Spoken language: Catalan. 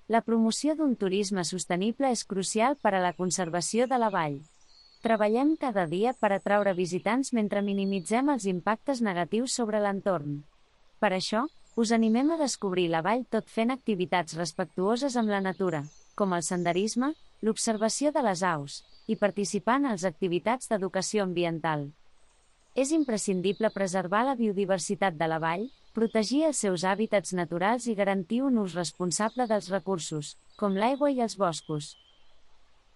La promoció d'un turisme sostenible és crucial per a la conservació de la vall. Treballem cada dia per atraure visitants mentre minimitzem els impactes negatius sobre l'entorn. Per això, us animem a descobrir la vall tot fent activitats respectuoses amb la natura, com el senderisme, l'observació de les aus, i participar en les activitats d'educació ambiental. És imprescindible preservar la biodiversitat de la vall, protegir els seus hàbitats naturals i garantir un ús responsable dels recursos, com l'aigua i els boscos.